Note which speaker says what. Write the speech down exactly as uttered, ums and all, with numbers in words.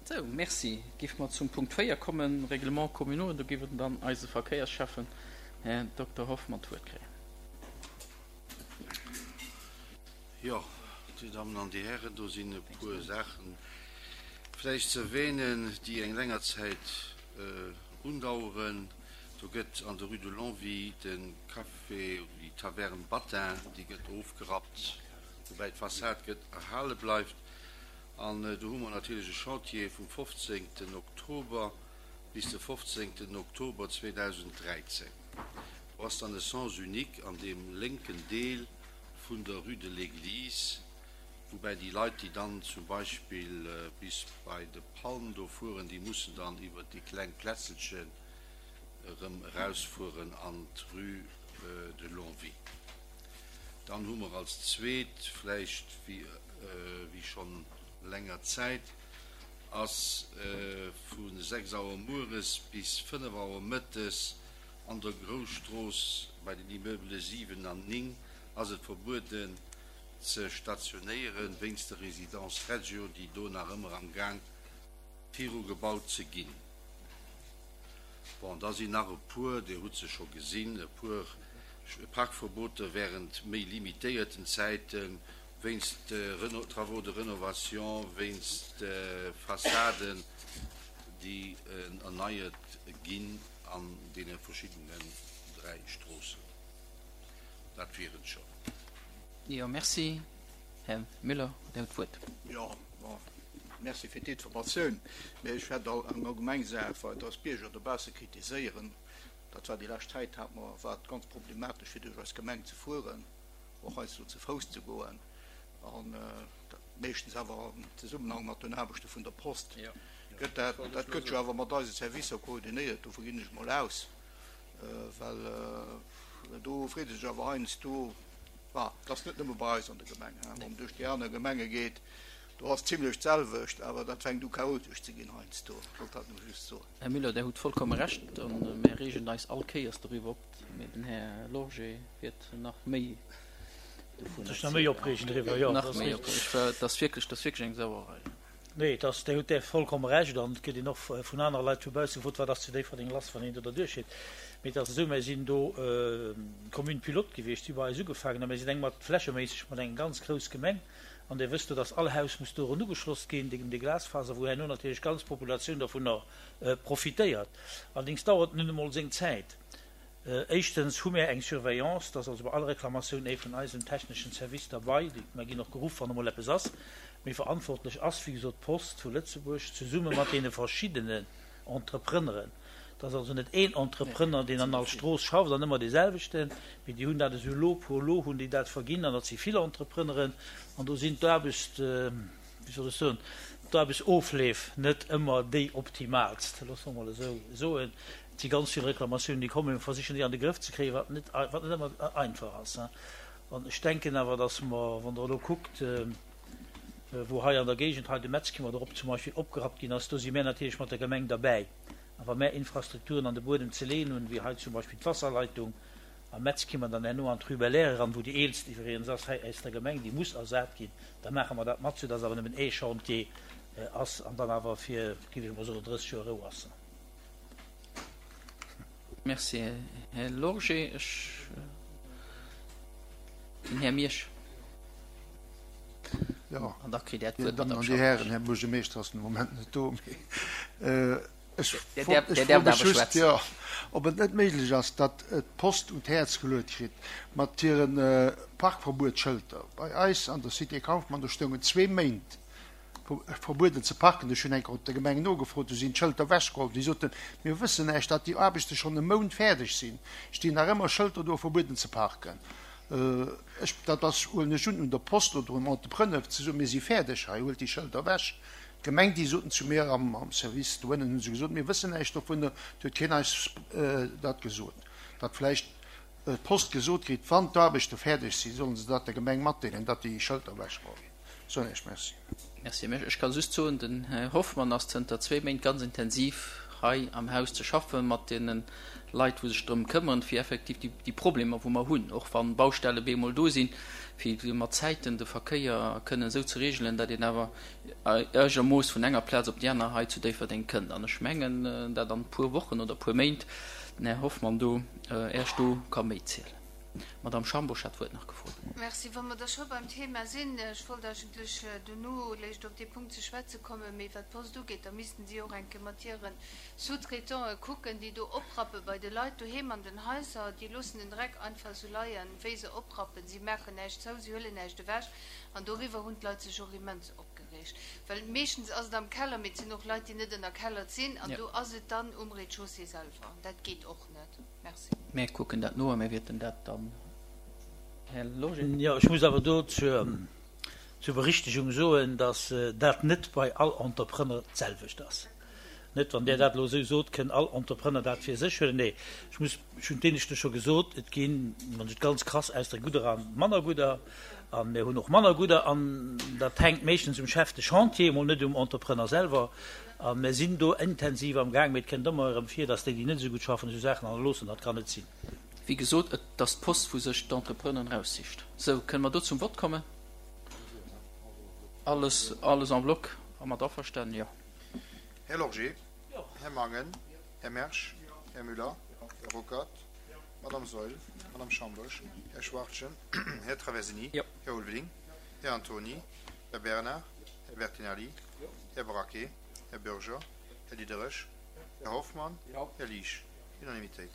Speaker 1: Sou, merci. Géife mer zum Punkt véier kommen, Règlements communaux. Do géif dann eise Verkéiersschäffen, Här Dokter Hoffmann, d'Wuert kréien.
Speaker 2: Jo, Dir Dammen an Dir Hären, do sinn e puer Saachen vläicht ze erwähnen, déi eng länger Zäit undaueren. Do gëtt an der Rue de Longwy de Café oder déi Taverne Battin, déi gëtt ofgerappt, woubäi d'Fassad gëtt erhale bleift. An do hu mer natierlech e Chantier vum fofzéngten Oktober bis de fofzéngten Oktober zweedausenddräizéng. Do ass dann e Sens unique an deem lénken Deel vun der Rue de l'Église, woubäi déi Leit, déi dann zum Beispill bis bei de Palm do fueren, déi mussen dann iwwert déi kleng Plätzelchen erëm erausfueren an d'Rue de Longwy. Dann hu mer als zweet, vläicht wéi schonn länger Zäit, ass vu sechs Auer mueres bis fënnef Auer mëttes an der Grousstrooss bei den Immeubele siwen an néng ass et verbueden ze stationéieren, wéinst der Résidence Reggio, déi do nach ëmmer am Gaang viru gebaut ze ginn. Bon, da sinn nach e puer, Dir hutt se scho gesinn, e puer Parkverboter während méi limitéierten Zäiten, wéinst Travaux de rénovation, wéinst Fassaden, déi erneiert ginn an deene verschiddenen dräi Stroossen. Dat wier et schonn.
Speaker 1: Jo, merci. Här Müller, Dir hutt d'Wuert.
Speaker 3: Jo, bon, merci fir d'Informatioun. Mä ech hätt eng allgemeng Saach, well dass d'Bierger dobausse kritiséieren, dat war déi lescht Zäit, hat mer, war et ganz problematesch fir duerch eis Gemeng ze fueren, och heiansdo ze Fouss ze goen an dat meeschtens awer am Zesummenhang mat den Aarbechte vun der Post. Gëtt dat, dat gëtt jo awer mat eise Servicer koordinéiert, dovu ginn ech mol aus, well do freet ee sech awer heiansdo, bah, et ass net nëmme bei eis an der Gemeng, wann een duerch déi aner Gemenge geet, do ass zimlech d'selwecht, awer dat fänkt u chaotesch ze ginn heiansdo. Ech wollt dat nëmme just soen.
Speaker 1: Här Müller, Der hutt vollkomme Recht a mär reegen eis all Kéiers doriwwer op. Mee den Här Lorgé wäert nach méi dovun
Speaker 4: Sech nach méi opreegen driwwer, jo,
Speaker 1: dat ass richtig. Dat ass wierklech, dat ass wierklech eng Sauerei.
Speaker 4: Nee, et ass, Dir hutt där vollkomme Recht an et gëtt een och vun anere Leit vu bausse gefrot, wat ass zu Déifferdeng lass, wann een do derduerch geet. Mee et ass esou, mir sinn do Commune pilote gewiescht, si hu bei eis ugefaangen a mir sinn eng mat flächeméisseg mat eng ganz grouss Gemeng an Dir wësst jo, dass all Haus muss doran ugeschloss ginn, dee dee Glasfaser, wou herno natierlech d'ganz Populatioun dovunner profitéiert. Allerdéngs dauert et nun emol seng Zäit. Éischtens hu mär eng Surveillance, dass also bei all Reklamatioun ee vun eisem techneschen Service derbei, mär ginn och geruff, wann emol eppes ass, mee verantwortlech ass, wéi gesot, d'Post vu Lëtzebuerg zesumme mat deene verschiddenen Entrepreneuren. Et ass also net een Entrepreneur, deen an all Strooss schafft an ëmmer dee selwechten, mee déi hunn dat esou lot pour lot hunn déi dat verginn an dat si vill Entrepreneuren an do sinn d'Aarbechts, wéi soll ech soen, d'Aarbechtsofleef net ëmmer déi optimaalst, loosse mer emol esou soen. Et si ganz vill Reklamatiounen, déi kommen. Mir versichen déi an de Grëff ze kréien, wat net, wat net ëmmer einfach ass. An ech denken awer, dass mer, wann Der elo kuckt, wou hei an der Géigend, hei de Metzkimmert erop zum Beispill opgerappt ginn ass, do si mär natierlech mat der Gemeng derbäi. A wa mär Infrastrukturen an de Buedem ze leeën hunn, wéi hei zum Beispill d'Wasserleitung am Metzkimmert an herno an d'Rue Belair eran, wou déi eelst iwwregens ass hei aus der Gemeng, déi muss ersat ginn, da maache mer dat mat, soudass awer nëmmen ee Chantier ass an dann awer fir, géif ech emol soen, drësseg Joer Rou ass.
Speaker 1: Merci, Här Lorgé. Ech, den Här Miersch.
Speaker 5: Jo,
Speaker 1: An da kritt Där
Speaker 5: Dir
Speaker 1: d'Wuert,
Speaker 5: Dammen
Speaker 1: Madame
Speaker 5: an Dir
Speaker 1: Schaffner.
Speaker 5: Hären, Här Buergermeeschter ass den Moment net do, mee ech
Speaker 1: Där
Speaker 5: fro
Speaker 1: däerf,
Speaker 5: ech
Speaker 1: Där
Speaker 5: froe
Speaker 1: däerft
Speaker 5: mech
Speaker 1: awer
Speaker 5: just,
Speaker 1: schwätzen.
Speaker 5: jo, ob et net méiglech ass, datt d'Post un d'Häerz geluet kritt mat hire Parkverbuetsschëlter. Bei eis an der Cité Kauffmann, do stoungen zwee Méint verbueden ze parken. Ech hunn eng Kéier op der Gemeng nogefrot, du sinn d'Schëlter ewechgeholl. Déi soten, mir wëssen näischt, datt déi Aarbechte schonn e Mount fäerdeg sinn, stinn nach ëmmer Schëlter do, verbueden ze parken. Ech, dat ass, huelen ech un, un der Post oder um Entrepreneur ze soen, mir si fäerdeg hei, huelt déi Schëlter ewech. D'Gemeng, déi soten zu mir am Service doënnen, hu se gesot, mir wëssen näischt dovunner, et huet keen eis dat gesot. Datt vläicht d'Post gesot kritt, wann d'Aarbechte fäerdeg sinn, sollen se dat der Gemeng matdeelen, datt déi Schëlter ewechgeholl ginn. Soen Iech Merci.
Speaker 1: Merci. Ech ka just soen, den Här Hoffmann ass zënter zwee Méint ganz intensiv hei am Haus ze schaffen, mat deene Leit, wou sech drëm këmmeren, fir effektiv déi, déi Problemer, wou mer hunn, och wann Baustelle bemol do sinn, fir mat Zäiten de Verkéier kënnen esou ze regelen, datt een awer eigermooss vun enger Plaz op déi aner hei zu Déifferdeng kënnt. An ech mengen, dat an e puer Wochen oder e puer Méint den Här Hoffmann do Äech do ka méi zielen. D'Madame Schambourg hat d'Wuert nach gefrot.
Speaker 6: Merci. Wa mer da scho beim Thema sinn, ech wollt eigentlech dono léischt op dee Punkt ze schwätze kommen, mee wat d'Post ugeet, da missten si och eng Kéier mat hire Sous-traitante kucken, déi do oprappe bei de Leit doheem an den Haiser. Déi loossen den Dreck einfach esou leien, wéi se oprappen. Si maachen näischt zou, si huelen näischt ewech. An doriwwer hunn d'Leit sech och immens opgereegt. Well meeschtens ass et am Keller, mee et sinn och Leit, déi net ënnerkellert sinn, an do ass et dann um Rez-de-chaussée selwer. An dat geet och net. Merci.
Speaker 1: Mir kucken dat no a mir wäerten dat dann, Här Lorgé.
Speaker 4: Jo, ech muss awer do zur Berichtigung soen, dass dat net bei all Entrepreneur d'selwecht ass. Net, wann Där dat elo esou sot, kënn all Entrepreneur dat fir sech huelen. Nee, ech muss, ech hunn d'Éineschte scho gesot, et ginn, wann ech et ganz krass ausdrécken, gudder a manner gudder. A mir hunn och manner gudder. An dat hänkt meeschtens um Chef de chantier, emol net um Entrepreneur selwer. A mir sinn do intensiv am Gaang, mee et kënnt ëmmer erëm vir, dass déi, déi net esou gutt schaffen, esou Saachen hannerloossen. Dat kann net sinn.
Speaker 1: Wéi gesot, et ass d'Post, wou sech d'Entrepreneuren eraussicht. Sou, kënne mer do zum Vott kommen? Alles, alles en bloc? Mat averstanen? Jo.
Speaker 7: Här Lorgé. Här Mangen. Här Mersch. Här Müller. Här Ruckert. Madame Saeul. Madame Schambourg. Här Schwachtgen. Här Traversini. Här Ulveling. Här Antony. Här Bernard. Här Bertinelli. Här Braquet. Här Bürger. Här Diderich. Här Hoffmann. Här Liesch. Unanimitéit.